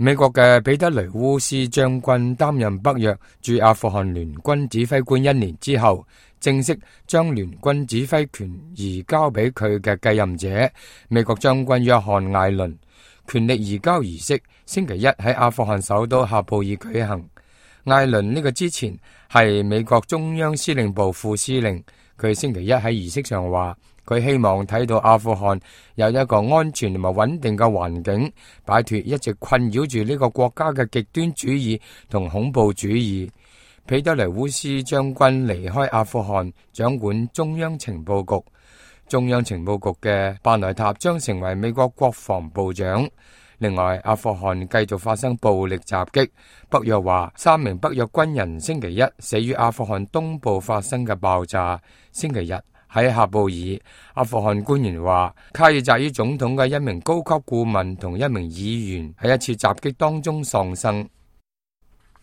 美國嘅彼得雷烏斯將軍擔任北約駐阿富汗聯軍指揮官1年之後，正式將聯軍指揮權移交俾佢嘅繼任者美國將軍約翰艾倫。權力移交儀式星期一喺阿富汗首都喀布爾舉行。艾倫呢個之前係美國中央司令部副司令，佢星期一喺儀式上話，佢希望睇到阿富汗有一個安全同埋穩定嘅環境，擺脫一直困擾住呢個國家嘅極端主義同恐怖主義。彼得雷烏斯將軍離開阿富汗，掌管中央情報局。中央情報局嘅巴內塔將成為美國國防部長。另外，阿富汗繼續發生暴力襲擊。北約話3名北約軍人星期一死於阿富汗東部發生嘅爆炸。星期日喺喀布爾，阿富汗官員話卡爾扎伊總統嘅1名高級顧問同1名議員喺一次襲擊當中喪生。